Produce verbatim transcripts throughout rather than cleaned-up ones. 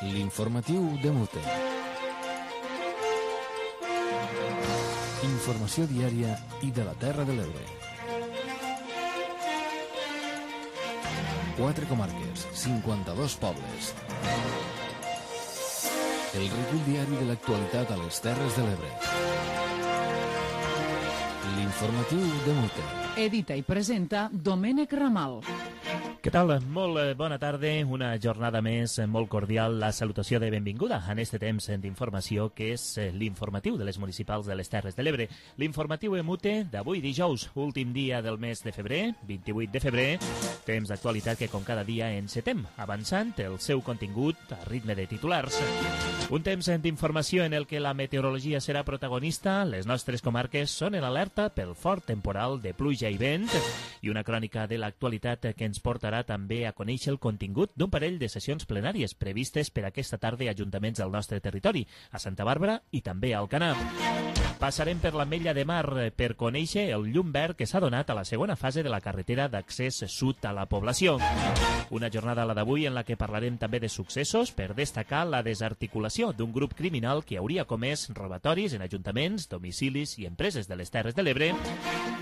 L'informatiu de Mute. Informació diària i de la Terra de l'Ebre. Quatre comarques, cinquanta-dos pobles. El recull diari de l'actualitat a les Terres de l'Ebre. L'informatiu de Mute. Edita i presenta Domènec Ramal. Què tal? Molt bona tarda, una jornada més molt cordial, la salutació de benvinguda en este temps d'informació que és l'informatiu de les municipals de les Terres de l'Ebre. L'informatiu Emute d'avui dijous, últim dia del mes de febrer, vint-i-vuit de febrer, temps d'actualitat que com cada dia encetem, avançant el seu contingut a ritme de titulars. Un temps d'informació en el que la meteorologia serà protagonista, les nostres comarques són en alerta pel fort temporal de pluja i vent i una crònica de l'actualitat que ens portarà també a conèixer el contingut d'un parell de sessions plenàries previstes per aquesta tarda a ajuntaments del nostre territori, a Santa Bàrbara i també a Alcanar. Passarem per l'Ametlla de Mar per conèixer el llum verd que s'ha donat a la segona fase de la carretera d'accés sud a la població. Una jornada, la d'avui, en la que parlarem també de successos per destacar la desarticulació d'un grup criminal que hauria comès robatoris en ajuntaments, domicilis i empreses de les Terres de l'Ebre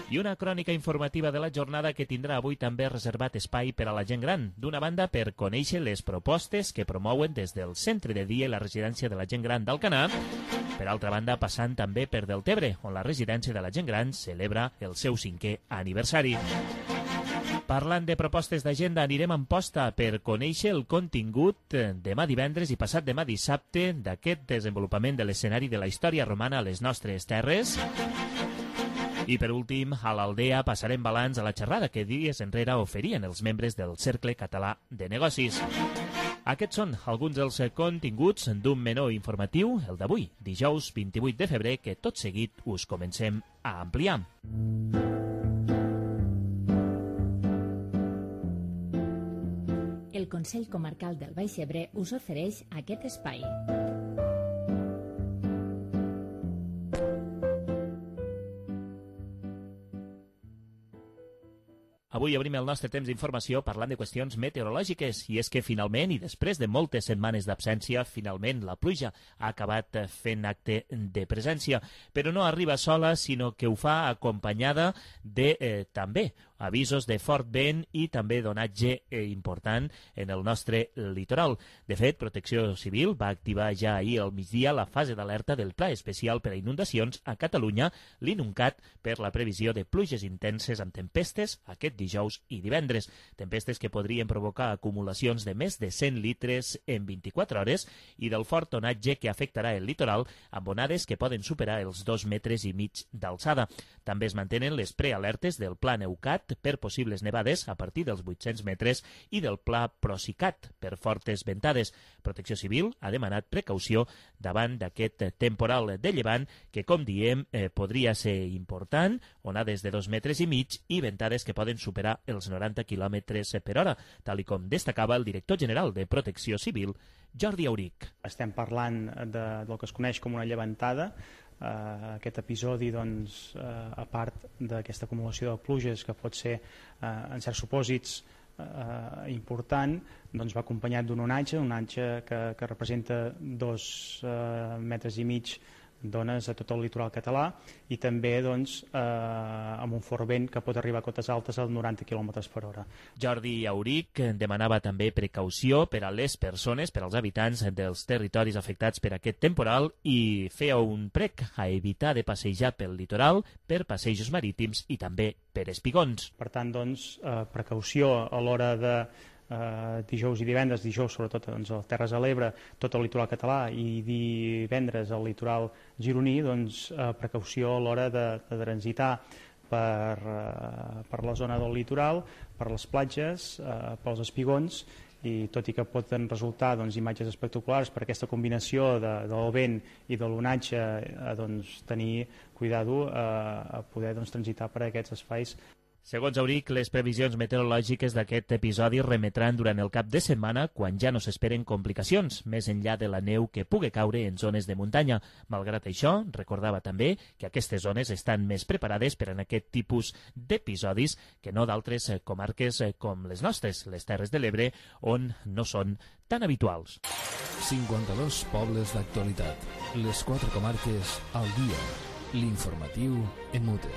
i una crònica informativa de la jornada que tindrà avui també reservat espai per a la gent gran. D'una banda, per conèixer les propostes que promouen des del centre de dia i la residència de la gent gran d'Alcanar. Per altra banda, passant també per Deltebre, on la residència de la gent gran celebra el seu cinquè aniversari. Parlant de propostes d'agenda, anirem en posta per conèixer el contingut demà divendres i passat demà dissabte d'aquest desenvolupament de l'escenari de la història romana a les nostres terres. I per últim, a l'Aldea passarem balanç a la xerrada que dies enrere oferien els membres del Cercle Català de Negocis. Aquests són alguns dels continguts d'un menú informatiu, el d'avui, dijous vint-i-vuit de febrer, que tot seguit us comencem a ampliar. El Consell Comarcal del Baix Ebre us ofereix aquest espai. Avui obrim el nostre temps d'informació parlant de qüestions meteorològiques i és que finalment, i després de moltes setmanes d'absència, finalment la pluja ha acabat fent acte de presència, però no arriba sola, sinó que ho fa acompanyada de eh, també avisos de fort vent i també d'onatge eh, important en el nostre litoral. De fet, Protecció Civil va activar ja ahir al migdia la fase d'alerta del Pla Especial per a Inundacions a Catalunya, l'INUNCAT, per la previsió de pluges intenses amb tempestes aquest dijous i divendres. Tempestes que podrien provocar acumulacions de més de cent litres en vint-i-quatre hores i del fort onatge que afectarà el litoral amb onades que poden superar els dos metres i mig d'alçada. També es mantenen les prealertes del Pla Neucat per possibles nevades a partir dels vuit-cents metres i del Pla Procicat per fortes ventades. Protecció Civil ha demanat precaució davant d'aquest temporal de llevant que, com diem, eh, podria ser important, onades de dos metres i mig i ventades que poden superar els noranta quilòmetres per hora, tal i com destacava el director general de Protecció Civil, Jordi Auric. Estem parlant de, del que es coneix com una llevantada. Uh, aquest episodi, doncs, uh, a part d'aquesta acumulació de pluges que pot ser, uh, en certs supòsits, uh, important, doncs va acompanyat d'un onatge, un onatge que, que representa dos uh, metres i mig d'ones a tot el litoral català i també doncs, eh, amb un fort vent que pot arribar a cotes altes als noranta quilòmetres per hora. Jordi Auric demanava també precaució per a les persones, per als habitants dels territoris afectats per aquest temporal i feia un prec a evitar de passejar pel litoral, per passejos marítims i també per espigons. Per tant, doncs, eh, precaució a l'hora de Uh, dijous i divendres, dijous sobretot doncs, a les Terres de l'Ebre, tot el litoral català i divendres al litoral gironí, doncs, uh, precaució a l'hora de, de transitar per, uh, per la zona del litoral, per les platges, uh, pels espigons, i tot i que poden resultar doncs, imatges espectaculars per aquesta combinació de, del vent i de l'onatge, uh, doncs, tenir cuidado uh, a poder doncs, transitar per aquests espais. Segons Auric, les previsions meteorològiques d'aquest episodi remetran durant el cap de setmana quan ja no s'esperen complicacions, més enllà de la neu que pugui caure en zones de muntanya. Malgrat això, recordava també que aquestes zones estan més preparades per a aquest tipus d'episodis que no d'altres comarques com les nostres, les Terres de l'Ebre, on no són tan habituals. cinquanta-dos pobles d'actualitat. Les quatre comarques al dia. L'informatiu en mute.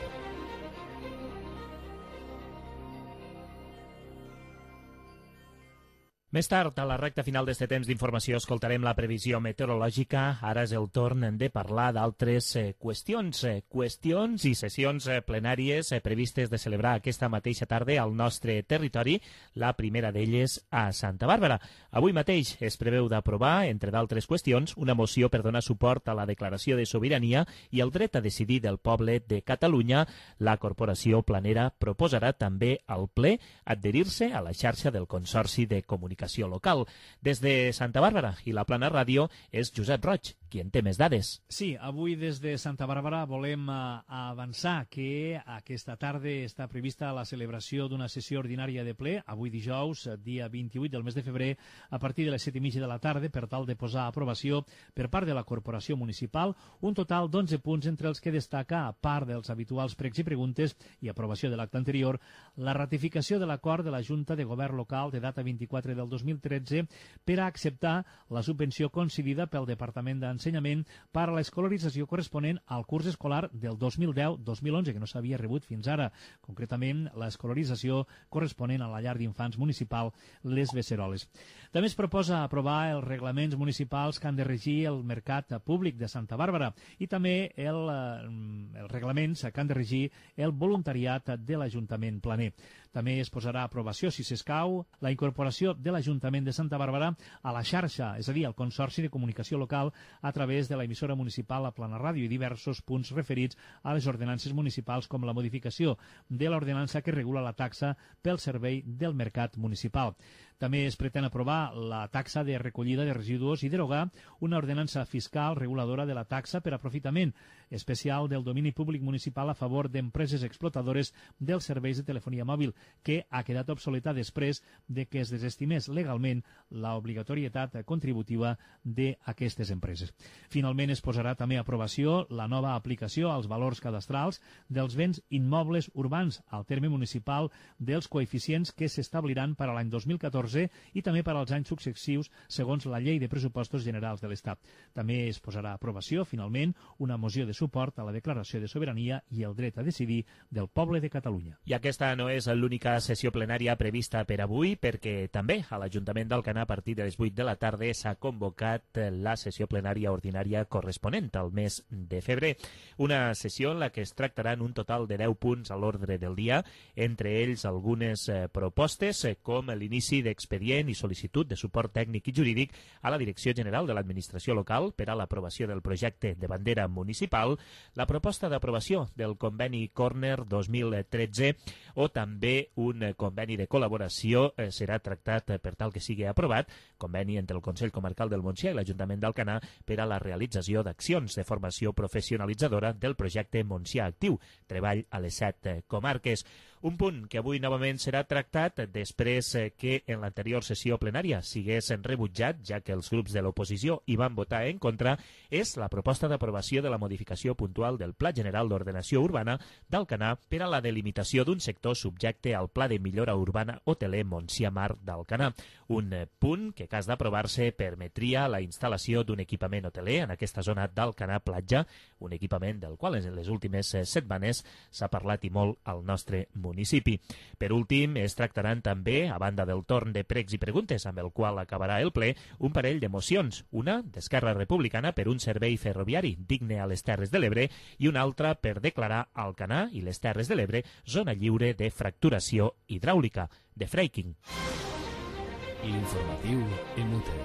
Més tard, a la recta final d'este temps d'informació, escoltarem la previsió meteorològica. Ara és el torn de parlar d'altres eh, qüestions, eh, qüestions i sessions eh, plenàries eh, previstes de celebrar aquesta mateixa tarda al nostre territori, la primera d'elles a Santa Bàrbara. Avui mateix es preveu d'aprovar, entre d'altres qüestions, una moció per donar suport a la declaració de sobirania i el dret a decidir del poble de Catalunya. La Corporació Planera proposarà també al ple adherir-se a la xarxa del Consorci de Comunicació local. Des de Santa Bàrbara i la Plana Ràdio és Josep Roig, qui en té més dades. Sí, avui des de Santa Bàrbara volem uh, avançar que aquesta tarda està prevista la celebració d'una sessió ordinària de ple, avui dijous, dia vint-i-vuit del mes de febrer, a partir de les set i mitja de la tarda, per tal de posar a aprovació per part de la Corporació Municipal un total d'onze punts, entre els que destaca, a part dels habituals pregs i preguntes i aprovació de l'acte anterior, la ratificació de l'acord de la Junta de Govern Local de data vint-i-quatre del dos mil tretze per a acceptar la subvenció concedida pel Departament d'Ensenyament per a l'escolarització corresponent al curs escolar del dos mil deu dos mil onze, que no s'havia rebut fins ara, concretament l'escolarització corresponent a la llar d'infants municipal Les Beceroles. També es proposa aprovar els reglaments municipals que han de regir el mercat públic de Santa Bàrbara i també el, els reglaments que han de regir el voluntariat de l'Ajuntament planer. També es posarà a aprovació, si s'escau, la incorporació de l'Ajuntament de Santa Bàrbara a la xarxa, és a dir, al Consorci de Comunicació Local, a través de l'emissora municipal, la Plana Ràdio i diversos punts referits a les ordenances municipals, com la modificació de l'ordenança que regula la taxa pel servei del mercat municipal. També es pretén aprovar la taxa de recollida de residus i derogar una ordenança fiscal reguladora de la taxa per aprofitament especial del domini públic municipal a favor d'empreses explotadores dels serveis de telefonia mòbil, que ha quedat obsoleta després de que es desestimés legalment l'obligatorietat contributiva d'aquestes empreses. Finalment es posarà també a aprovació la nova aplicació als valors cadastrals dels béns immobles urbans al terme municipal dels coeficients que s'establiran per a l'any dos mil catorze i també per als anys successius segons la Llei de Pressupostos Generals de l'Estat. També es posarà a aprovació, finalment, una moció de suport a la declaració de sobirania i el dret a decidir del poble de Catalunya. I aquesta no és l'única sessió plenària prevista per avui, perquè també a l'Ajuntament d'Alcanar, a partir de les vuit de la tarda, s'ha convocat la sessió plenària ordinària corresponent al mes de febrer. Una sessió en la que es tractaran un total de deu punts a l'ordre del dia, entre ells algunes eh, propostes, eh, com l'inici d'expedient i sol·licitud de suport tècnic i jurídic a la Direcció General de l'Administració Local per a l'aprovació del projecte de bandera municipal, la proposta d'aprovació del conveni Corner dos mil tretze o també un conveni de col·laboració eh, serà tractat eh, per tal que sigui aprovat, conveni entre el Consell Comarcal del Montsià i l'Ajuntament d'Alcanar per a la realització d'accions de formació professionalitzadora del projecte Montsià Actiu, treball a les set eh, comarques. Un punt que avui novament serà tractat després que en l'anterior sessió plenària sigués rebutjat, ja que els grups de l'oposició hi van votar en contra, és la proposta d'aprovació de la modificació puntual del Pla General d'Ordenació Urbana d'Alcanar per a la delimitació d'un sector subjecte al Pla de Millora Urbana Hoteler Montsià Mar d'Alcanar. Un punt que, en cas d'aprovar-se, permetria la instal·lació d'un equipament hoteler en aquesta zona d'Alcanar Platja, un equipament del qual en les últimes setmanes s'ha parlat i molt al nostre municipi. municipi. Per últim, es tractaran també, a banda del torn de pregs i preguntes amb el qual acabarà el ple, un parell de mocions, una d'Esquerra Republicana per un servei ferroviari digne a les Terres de l'Ebre i una altra per declarar Alcanar i les Terres de l'Ebre zona lliure de fracturació hidràulica, de fracking. L'informatiu en mute.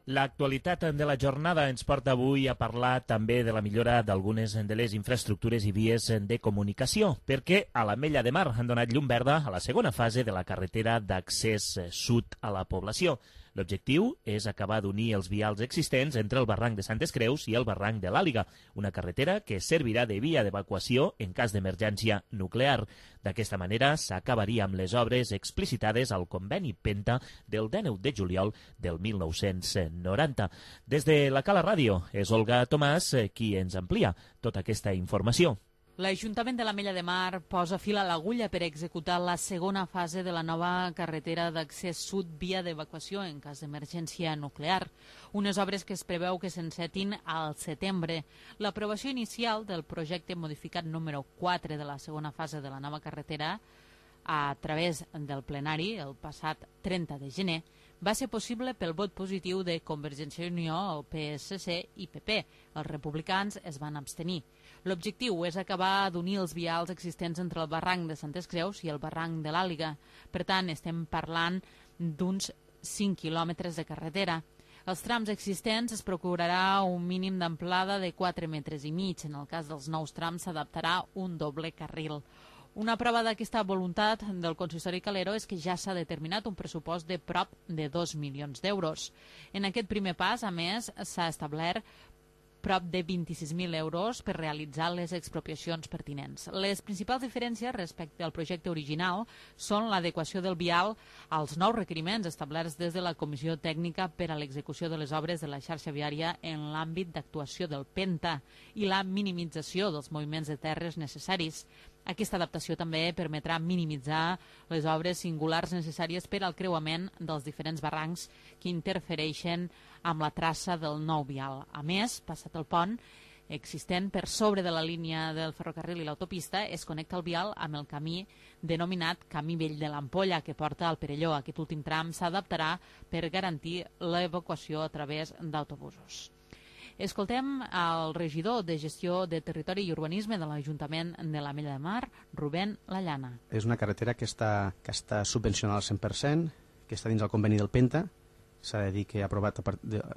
L'actualitat de la jornada ens porta avui a parlar també de la millora d'algunes de les infraestructures i vies de comunicació, perquè a l'Ametlla de Mar han donat llum verda a la segona fase de la carretera d'accés sud a la població. L'objectiu és acabar d'unir els vials existents entre el barranc de Santes Creus i el barranc de l'Àliga, una carretera que servirà de via d'evacuació en cas d'emergència nuclear. D'aquesta manera s'acabaria amb les obres explicitades al conveni Penta del dinou de juliol del mil nou-cents noranta. Des de la Cala Ràdio és Olga Tomàs qui ens amplia tota aquesta informació. L'Ajuntament de l'Ametlla de Mar posa fil a l'agulla per executar la segona fase de la nova carretera d'accés sud via d'evacuació en cas d'emergència nuclear. Unes obres que es preveu que s'encetin al setembre. L'aprovació inicial del projecte modificat número quatre de la segona fase de la nova carretera a través del plenari el passat trenta de gener va ser possible pel vot positiu de Convergència i Unió, el P S C i P P. Els republicans es van abstenir. L'objectiu és acabar d'unir els vials existents entre el barranc de Santes Creus i el barranc de l'Àliga. Per tant, estem parlant d'uns cinc quilòmetres de carretera. Els trams existents es procurarà un mínim d'amplada de quatre metres i mig. En el cas dels nous trams s'adaptarà un doble carril. Una prova d'aquesta voluntat del consistori Calero és que ja s'ha determinat un pressupost de prop de dos milions d'euros. En aquest primer pas, a més, s'ha establert prop de vint-i-sis mil euros per realitzar les expropiacions pertinents. Les principals diferències respecte al projecte original són l'adequació del vial als nous requeriments establerts des de la Comissió Tècnica per a l'execució de les obres de la xarxa viària en l'àmbit d'actuació del Penta i la minimització dels moviments de terres necessaris. Aquesta adaptació també permetrà minimitzar les obres singulars necessàries per al creuament dels diferents barrancs que interfereixen amb la traça del nou vial. A més, passat el pont existent per sobre de la línia del ferrocarril i l'autopista, es connecta el vial amb el camí denominat Camí Vell de l'Ampolla, que porta al Perelló. Aquest últim tram s'adaptarà per garantir l'evacuació a través d'autobusos. Escoltem el regidor de Gestió de Territori i Urbanisme de l'Ajuntament de l'Ametlla de Mar, Rubén Lallana. És una carretera que està, que està subvencionada al cent per cent, que està dins el conveni del Penta, s'ha de dir que ha aprovat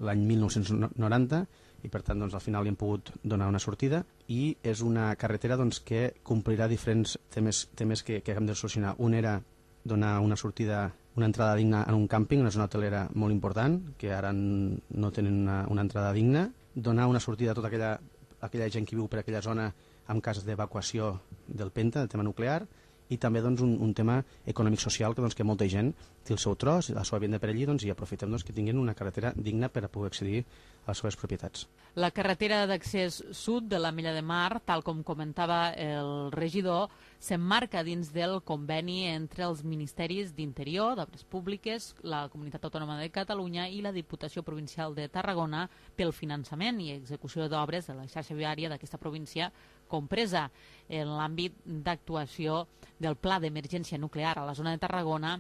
l'any mil nou-cents noranta i per tant doncs, al final li hem pogut donar una sortida i és una carretera doncs, que complirà diferents temes, temes que, que hem de solucionar. Un era donar una sortida, una entrada digna en un càmping, una zona hotelera molt important, que ara no tenen una, una entrada digna, donar una sortida a tota aquella, aquella gent que viu per aquella zona en cas d'evacuació del Penta, del tema nuclear, i també doncs, un, un tema econòmic-social que, doncs, que molta gent té el seu tros, la seva vivenda per allí, doncs, i aprofitem doncs, que tinguin una carretera digna per a poder accedir a les seves propietats. La carretera d'accés sud de l'Ametlla de Mar, tal com comentava el regidor, s'emmarca dins del conveni entre els Ministeris d'Interior, d'Obres Públiques, la Comunitat Autònoma de Catalunya i la Diputació Provincial de Tarragona pel finançament i execució d'obres de la xarxa viària d'aquesta província, compresa en l'àmbit d'actuació del Pla d'Emergència Nuclear a la zona de Tarragona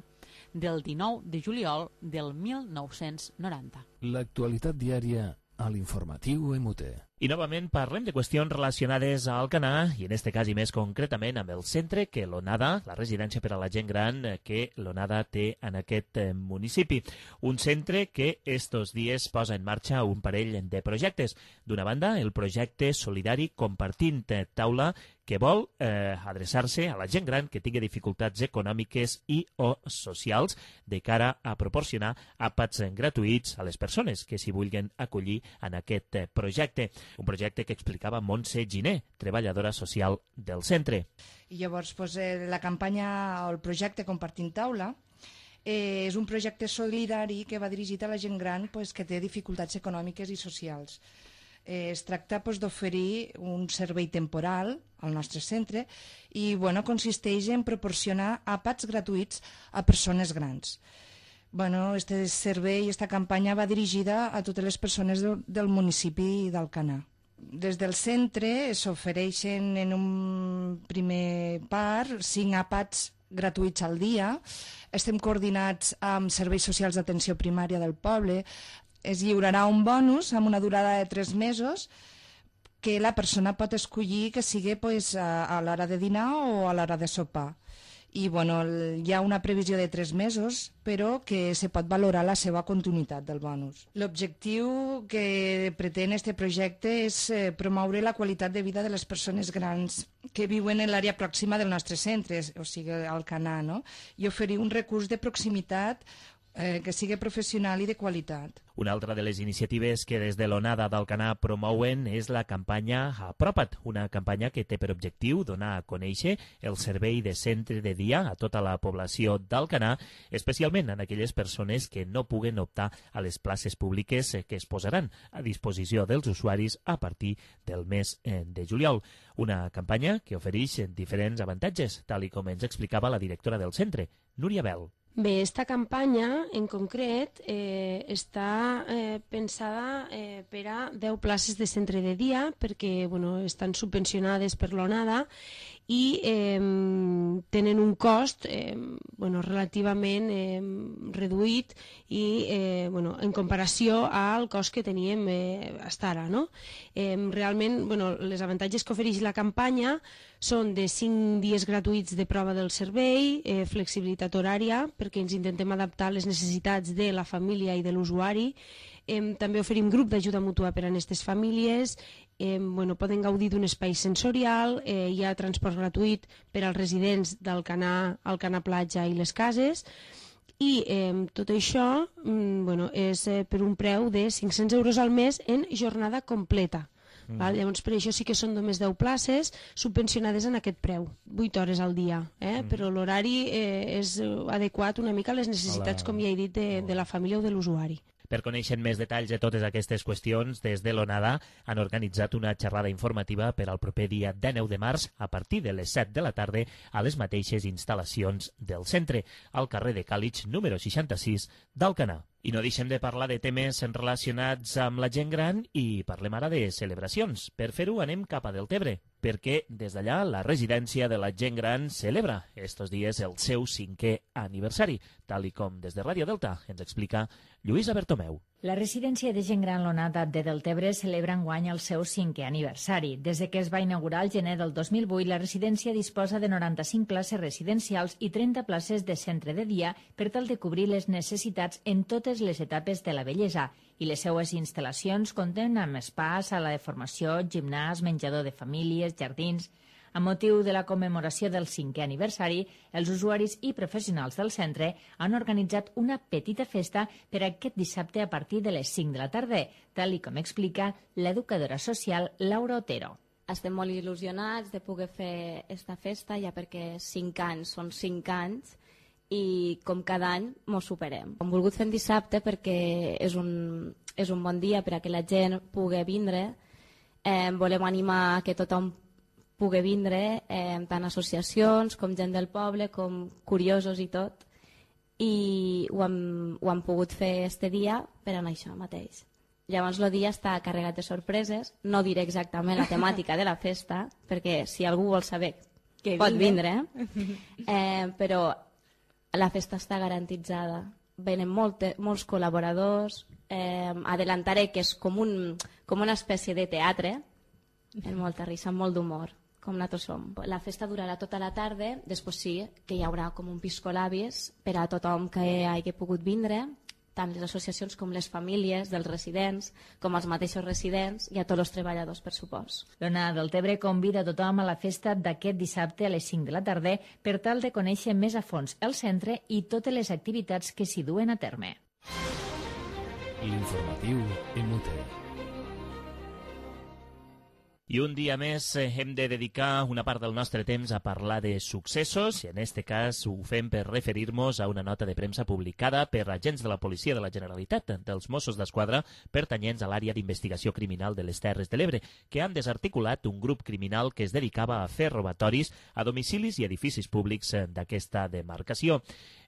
del dinou de juliol del mil nou-cents noranta. L'actualitat diària a l'informatiu M U T. I novament parlem de qüestions relacionades a Alcanar i en este cas i més concretament amb el centre que l'ONADA, la residència per a la gent gran que l'ONADA té en aquest municipi. Un centre que estos dies posa en marxa un parell de projectes. D'una banda, el projecte solidari Compartint Taula, que vol eh, adreçar-se a la gent gran que tingui dificultats econòmiques i o socials de cara a proporcionar àpats gratuïts a les persones que s'hi vulguin acollir en aquest projecte. Un projecte que explicava Montse Giner, treballadora social del centre. I llavors doncs, la campanya o el projecte Compartint Taula eh, és un projecte solidari que va dirigit a la gent gran pues, que té dificultats econòmiques i socials. Eh, es tracta pues, d'oferir un servei temporal al nostre centre i bueno, consisteix en proporcionar àpats gratuïts a persones grans. Bueno, este servei, esta campanya va dirigida a totes les persones del, del municipi d'Alcanar. Des del centre s'ofereixen en un primer part cinc àpats gratuïts al dia. Estem coordinats amb serveis socials d'atenció primària del poble. Es lliurarà un bonus amb una durada de tres mesos que la persona pot escollir que sigui pues, a, a l'hora de dinar o a l'hora de sopar. I bueno, hi ha una previsió de tres mesos, però que se pot valorar la seva continuïtat del bonus. L'objectiu que pretén este projecte és eh, promoure la qualitat de vida de les persones grans que viuen en l'àrea pròxima del nostre centre, o sigui, Alcanar, no? I oferir un recurs de proximitat eh, que sigui professional i de qualitat. Una altra de les iniciatives que des de l'Onada d'Alcanar promouen és la campanya Apropa't, una campanya que té per objectiu donar a conèixer el servei de centre de dia a tota la població d'Alcanar, especialment en aquelles persones que no puguen optar a les places públiques que es posaran a disposició dels usuaris a partir del mes de juliol. Una campanya que ofereix diferents avantatges, tal i com ens explicava la directora del centre, Núria Bel. Bé, esta campanya en concret eh, està eh, pensada eh, per a deu places de centre de dia perquè bueno, estan subvencionades per l'Onada i eh, tenen un cost eh, bueno, relativament eh, reduït i eh, bueno, en comparació al cost que teníem eh, fins ara. No? Eh, realment, bueno, les avantatges que ofereix la campanya són de cinc dies gratuïts de prova del servei, eh, flexibilitat horària, perquè ens intentem adaptar a les necessitats de la família i de l'usuari. Eh, també oferim grup d'ajuda mútua per a aquestes famílies. Eh, bueno, poden gaudir d'un espai sensorial, eh, hi ha transport gratuït per als residents d'Alcanar, Alcanar Platja i les cases. I eh, tot això mm, bueno, és eh, per un preu de cinc-cents euros al mes en jornada completa. Mm. Val? Llavors, per això sí que són només deu places subvencionades en aquest preu, vuit hores al dia, eh? Mm. Però l'horari eh, és adequat una mica a les necessitats, Hola. com ja he dit, de, de la família o de l'usuari. Per conèixer més detalls de totes aquestes qüestions, des de l'Onada han organitzat una xerrada informativa per al proper dia dinou de març a partir de les set de la tarda a les mateixes instal·lacions del centre, al carrer de Càlig número seixanta-sis d'Alcanar. I no deixem de parlar de temes relacionats amb la gent gran i parlem ara de celebracions. Per fer-ho anem cap a Deltebre, perquè des d'allà la residència de la gent gran celebra estos dies el seu cinquè aniversari, tal i com des de Ràdio Delta ens explica Lluïsa Bertomeu. La residència de gent gran l'Onada de Deltebre celebra enguany el seu cinquè aniversari. Des de que es va inaugurar el gener del dos mil vuit, la residència disposa de noranta-cinc places residencials i trenta places de centre de dia per tal de cobrir les necessitats en totes les etapes de la vellesa, i les seues instal·lacions compten amb spa, sala de formació, gimnàs, menjador de famílies, jardins. A motiu de la commemoració del cinquè aniversari, els usuaris i professionals del centre han organitzat una petita festa per aquest dissabte a partir de les cinc de la tarda, tal i com explica l'educadora social Laura Otero. Estem molt il·lusionats de poder fer aquesta festa, ja perquè cinc anys són cinc anys i com cada any mos superem. Hem volgut fer en dissabte perquè és un, és un bon dia per a que la gent pugui vindre. Eh, volem animar que tothom pugui vindre, eh, tant associacions com gent del poble, com curiosos i tot, i ho hem, ho hem pogut fer este dia per anar això mateix. Llavors el dia està carregat de sorpreses, no diré exactament la temàtica de la festa, perquè si algú vol saber que pot vindre, eh, però la festa està garantitzada. Venen molt, molts col·laboradors, eh, adelantaré que és com, un, com una espècie de teatre, amb molta risa, amb molt d'humor, com nosaltres som. La festa durarà tota la tarda, després sí que hi haurà com un piscolabis per a tothom que hagi pogut vindre, tant les associacions com les famílies dels residents, com els mateixos residents i a tots els treballadors, per supost. L'Onada Deltebre convida tothom a la festa d'aquest dissabte a les cinc de la tarda per tal de conèixer més a fons el centre i totes les activitats que s'hi duen a terme. L'informatiu en Mute. I un dia més hem de dedicar una part del nostre temps a parlar de successos, i en aquest cas ho fem per referir-nos a una nota de premsa publicada per agents de la Policia de la Generalitat, dels Mossos d'Esquadra, pertanyents a l'àrea d'investigació criminal de les Terres de l'Ebre, que han desarticulat un grup criminal que es dedicava a fer robatoris a domicilis i edificis públics d'aquesta demarcació.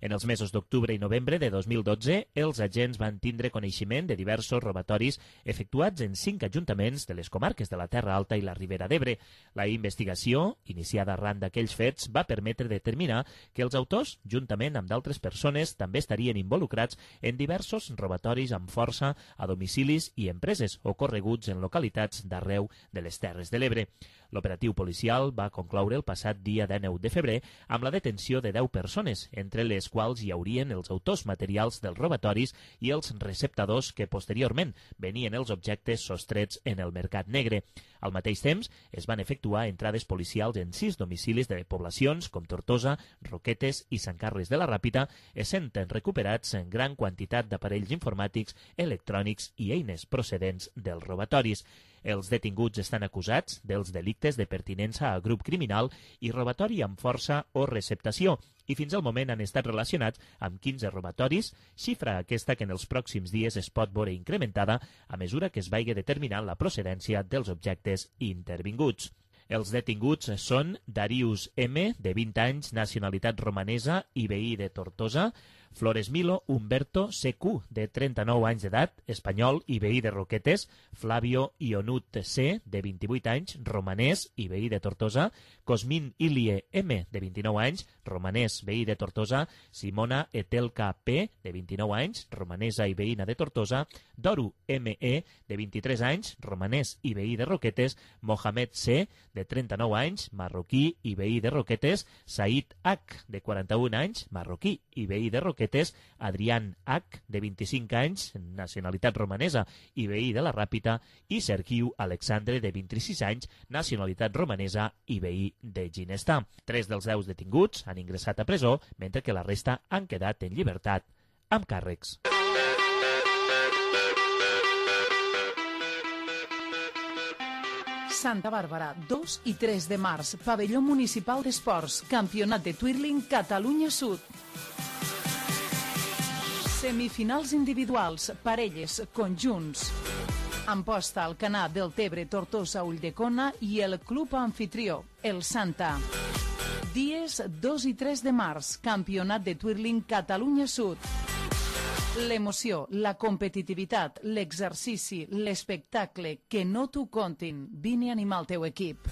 En els mesos d'octubre i novembre de dos mil dotze, els agents van tindre coneixement de diversos robatoris efectuats en cinc ajuntaments de les comarques de la Terra Alta i la Ribera d'Ebre. La investigació, iniciada arran d'aquells fets, va permetre determinar que els autors, juntament amb d'altres persones, també estarien involucrats en diversos robatoris amb força a domicilis i empreses ocorreguts en localitats d'arreu de les Terres de l'Ebre. L'operatiu policial va concloure el passat dia dinou de febrer amb la detenció de deu persones, entre les quals hi haurien els autors materials dels robatoris i els receptadors que posteriorment venien els objectes sostrets en el mercat negre. Al Al mateix temps, es van efectuar entrades policials en sis domicilis de poblacions com Tortosa, Roquetes i Sant Carles de la Ràpita, essent recuperats en gran quantitat d'aparells informàtics, electrònics i eines procedents dels robatoris. Els detinguts estan acusats dels delictes de pertinença a grup criminal i robatori amb força o receptació, i fins al moment han estat relacionats amb quinze robatoris, xifra aquesta que en els pròxims dies es pot veure incrementada a mesura que es vagi determinant la procedència dels objectes intervinguts. Els detinguts són Darius M, de vint anys, nacionalitat romanesa i veí de Tortosa, Flores Milo Humberto C Q, de trenta-nou anys d'edat, espanyol i veí de Roquetes, Flavio Ionut C, de vint-i-vuit anys, romanès i veí de Tortosa, Cosmin Ilie M, de vint-i-nou anys, romanès, veí de Tortosa, Simona Etelka P, de vint-i-nou anys, romanesa i veïna de Tortosa, Doru M E, de vint-i-tres anys, romanès i veí de Roquetes, Mohamed C, de trenta-nou anys, marroquí i veí de Roquetes, Said H, de quaranta-un anys, marroquí i veí de Roquetes, Adrián H, de vint-i-cinc anys, nacionalitat romanesa i veí de la Ràpita, i Sergiu Alexandre, de vint-i-sis anys, nacionalitat romanesa i veí de Ginestà. Tres dels deu detinguts han ingressat a presó, mentre que la resta han quedat en llibertat amb càrrecs. Santa Bàrbara, dos i tres de març, Pavelló Municipal d'Esports, Campionat de Twirling Catalunya Sud. Semifinals individuals, parelles, conjunts. Amposta al Canà del Tebre, Tortosa, Ulldecona i el club anfitrió, el Santa. Dies dos i tres de març, Campionat de Twirling Catalunya Sud. L'emoció, la competitivitat, l'exercici, l'espectacle, que no t'ho contin. Vine a animar el teu equip.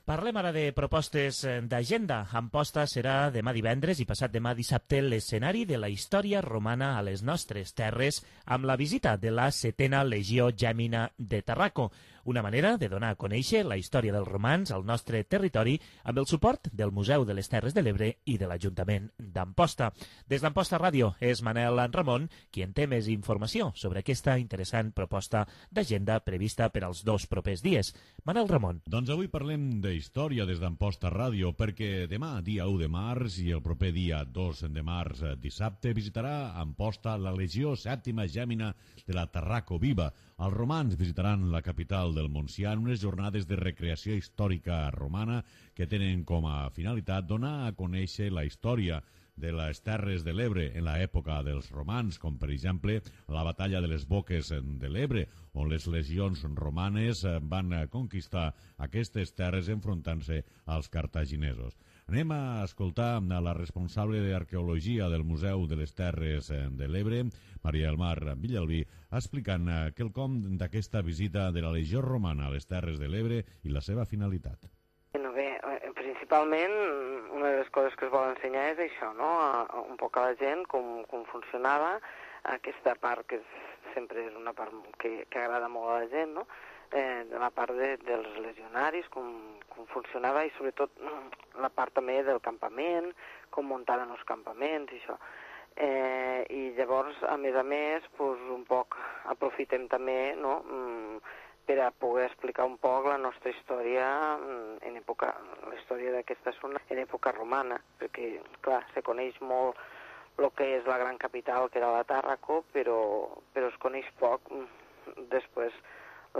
Parlem ara de propostes d'agenda. Amposta serà demà divendres i passat demà dissabte l'escenari de la història romana a les nostres terres amb la visita de la setena Legió Gèmina de Tarraco, una manera de donar a conèixer la història dels romans al nostre territori amb el suport del Museu de les Terres de l'Ebre i de l'Ajuntament d'Amposta. Des d'Amposta Ràdio és Manel Ramon qui en té més informació sobre aquesta interessant proposta d'agenda prevista per als dos propers dies. Manel Ramon. Doncs avui parlem de història des d'Amposta Ràdio, perquè demà, dia u de març, i el proper dia dos de març, dissabte, visitarà Amposta la Legió Sèptima Gèmina de la Tarraco Viva. Els romans visitaran la capital del Montsià en unes jornades de recreació històrica romana que tenen com a finalitat donar a conèixer la història de les Terres de l'Ebre en l'època dels romans, com per exemple la batalla de les Boques de l'Ebre, on les legions romanes van conquistar aquestes terres enfrontant-se als cartaginesos. Anem a escoltar la responsable d'Arqueologia del Museu de les Terres de l'Ebre, Maria del Mar Villalbí, explicant quelcom d'aquesta visita de la Legió Romana a les Terres de l'Ebre i la seva finalitat. No, bé, principalment una de les coses que es vol ensenyar és això, no? A, a un poc a la gent com, com funcionava aquesta part que és, sempre és una part que, que agrada molt a la gent, no? Eh, de la part de, dels legionaris, com, com funcionava i sobretot la part també del campament, com muntaven els campaments i això. Eh, I llavors, a més a més, pues, un poc aprofitem també, no?, per a poder explicar un poc la nostra història en època, la història d'aquesta zona en època romana, perquè, clar, se coneix molt el que és la gran capital, que era la Tàrraco, però, però es coneix poc després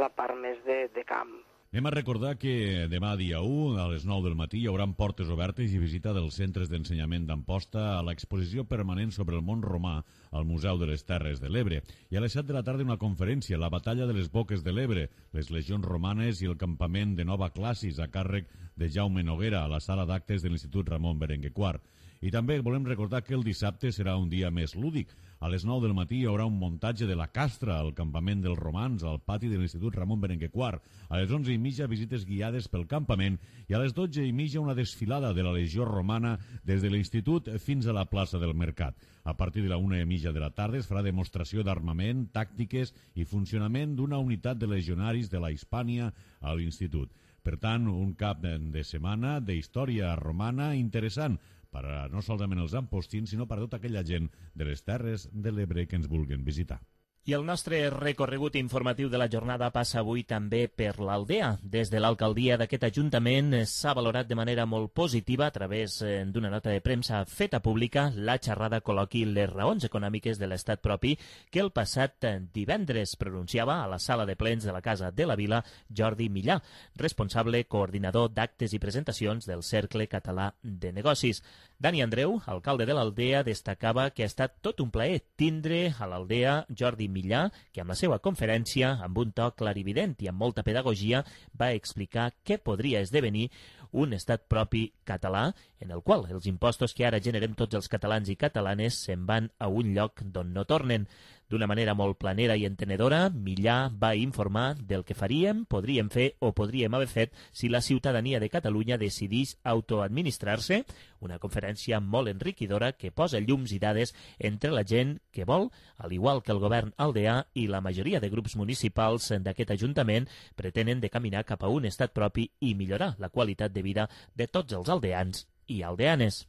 la part més de, de camp. Anem a recordar que demà dia u, a les nou del matí, hi haurà portes obertes i visita dels centres d'ensenyament d'Amposta a l'exposició permanent sobre el món romà al Museu de les Terres de l'Ebre. I a les set de la tarda una conferència, la batalla de les Boques de l'Ebre, les legions romanes i el campament de Nova Classis a càrrec de Jaume Noguera a la sala d'actes de l'Institut Ramon Berenguer quart. I també volem recordar que el dissabte serà un dia més lúdic. A les nou del matí hi haurà un muntatge de la Castra al campament dels romans al pati de l'Institut Ramon Berenguer quart. A les onze i mitja visites guiades pel campament i a les dotze i mitja una desfilada de la Legió Romana des de l'Institut fins a la plaça del Mercat. A partir de la una i mitja de la tarda es farà demostració d'armament, tàctiques i funcionament d'una unitat de legionaris de la Hispània a l'Institut. Per tant, un cap de setmana de història romana interessant per a no solament els ampostins, sinó per a tota aquella gent de les Terres de l'Ebre que ens vulguin visitar. I el nostre recorregut informatiu de la jornada passa avui també per l'Aldea. Des de l'alcaldia d'aquest ajuntament s'ha valorat de manera molt positiva a través d'una nota de premsa feta pública la xerrada col·loqui Les raons econòmiques de l'estat propi que el passat divendres pronunciava a la sala de plens de la Casa de la Vila Jordi Millà, responsable coordinador d'actes i presentacions del Cercle Català de Negocis. Dani Andreu, alcalde de l'Aldea, destacava que ha estat tot un plaer tindre a l'Aldea Jordi Millà, que amb la seva conferència, amb un to clarivident i amb molta pedagogia, va explicar què podria esdevenir un estat propi català, en el qual els impostos que ara generem tots els catalans i catalanes se'n van a un lloc d'on no tornen. D'una manera molt planera i entenedora, Millà va informar del que faríem, podríem fer o podríem haver fet si la ciutadania de Catalunya decidís autoadministrar-se, una conferència molt enriquidora que posa llums i dades entre la gent que vol, al igual que el govern aldeà i la majoria de grups municipals d'aquest ajuntament, pretenen de caminar cap a un estat propi i millorar la qualitat de vida de tots els aldeans i aldeanes.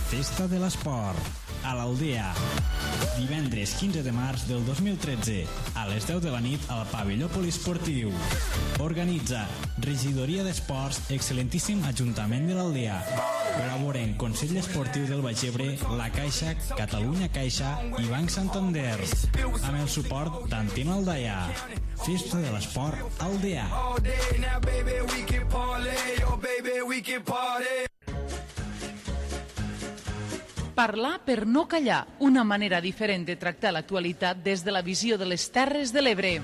Festa de l'Esport, a l'Aldea. Divendres quinze de març del dos mil tretze, a les deu de la nit al pavelló poliesportiu. Organitza Regidoria d'Esports, excel·lentíssim Ajuntament de l'Aldea. Col·laboren Consell Esportiu del Baix Ebre, La Caixa, Catalunya Caixa i Banc Santander. Amb el suport d'Antena Aldaia. Festa de l'Esport Aldea. Parlar per no callar, una manera diferent de tractar l'actualitat des de la visió de les Terres de l'Ebre.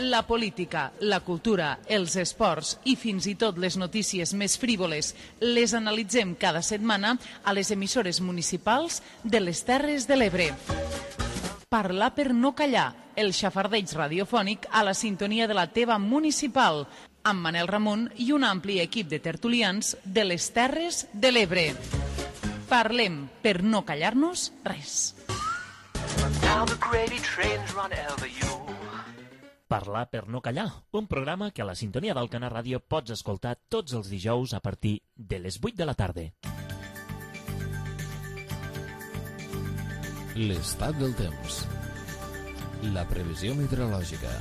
La política, la cultura, els esports i fins i tot les notícies més frívoles les analitzem cada setmana a les emissores municipals de les Terres de l'Ebre. Parlar per no callar, el xafardeig radiofònic a la sintonia de la teva municipal, amb Manel Ramon i un ampli equip de tertulians de les Terres de l'Ebre. Parlem per no callar-nos res. Parlar per no callar, un programa que a la sintonia d'Alcanar Ràdio pots escoltar tots els dijous a partir de les vuit de la tarda. L'estat del temps. La previsió meteorològica.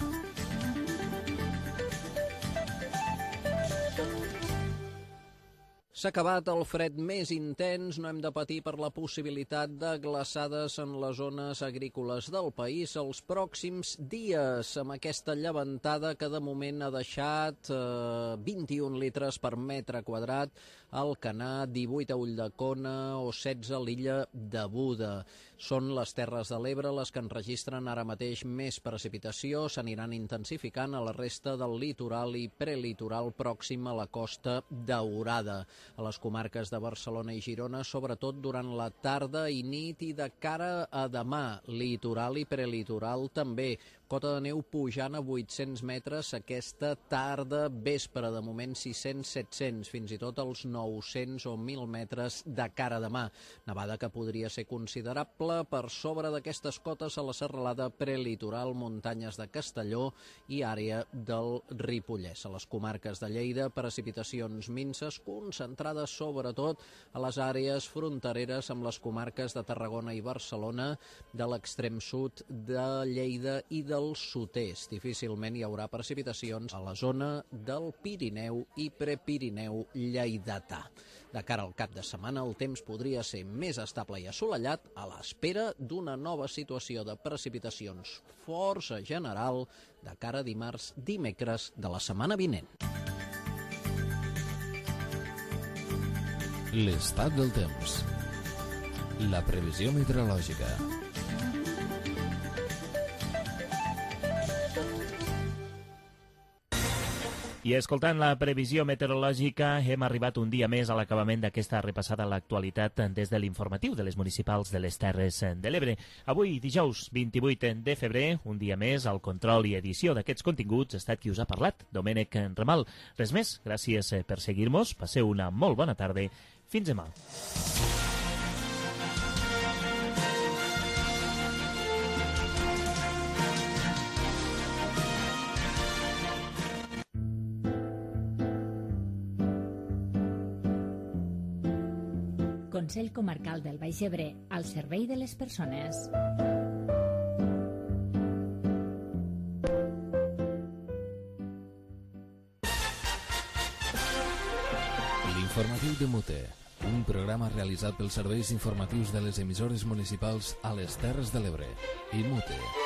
S'ha acabat el fred més intens, no hem de patir per la possibilitat de glaçades en les zones agrícoles del país els pròxims dies, amb aquesta llevantada que de moment ha deixat eh, vint-i-un litres per metre quadrat al Canà, divuit a Ulldecona o setze a l'illa de Buda. Són les Terres de l'Ebre les que enregistren ara mateix més precipitació, s'aniran intensificant a la resta del litoral i prelitoral pròxim a la Costa Daurada. A les comarques de Barcelona i Girona, sobretot durant la tarda i nit i de cara a demà. Litoral i prelitoral també. Cota de neu pujant a vuit-cents metres aquesta tarda vespre, de moment sis-cents set-cents, fins i tot els nou-cents o mil metres de cara a demà. Nevada que podria ser considerable per sobre d'aquestes cotes a la serralada prelitoral, muntanyes de Castelló i àrea del Ripollès. A les comarques de Lleida, precipitacions minses concentrades sobretot a les àrees frontereres amb les comarques de Tarragona i Barcelona, de l'extrem sud de Lleida i del sud-est. Difícilment hi haurà precipitacions a la zona del Pirineu i Prepirineu lleidatà. De cara al cap de setmana, el temps podria ser més estable i assolellat a l'espera d'una nova situació de precipitacions força general de cara a dimarts, dimecres de la setmana vinent. L'estat del temps. La previsió meteorològica. I escoltant la previsió meteorològica hem arribat un dia més a l'acabament d'aquesta repassada a l'actualitat des de l'informatiu de les municipals de les Terres de l'Ebre. Avui, dijous vint-i-vuit de febrer, un dia més, al control i edició d'aquests continguts ha estat qui us ha parlat, Domènec Ramal. Res més, gràcies per seguir-nos, passeu una molt bona tarda, fins demà. Consell Comarcal del Baix Ebre, al servei de les persones. L'informatiu de Mute, un programa realitzat pels serveis informatius de les emissores municipals a les Terres de l'Ebre i Mute.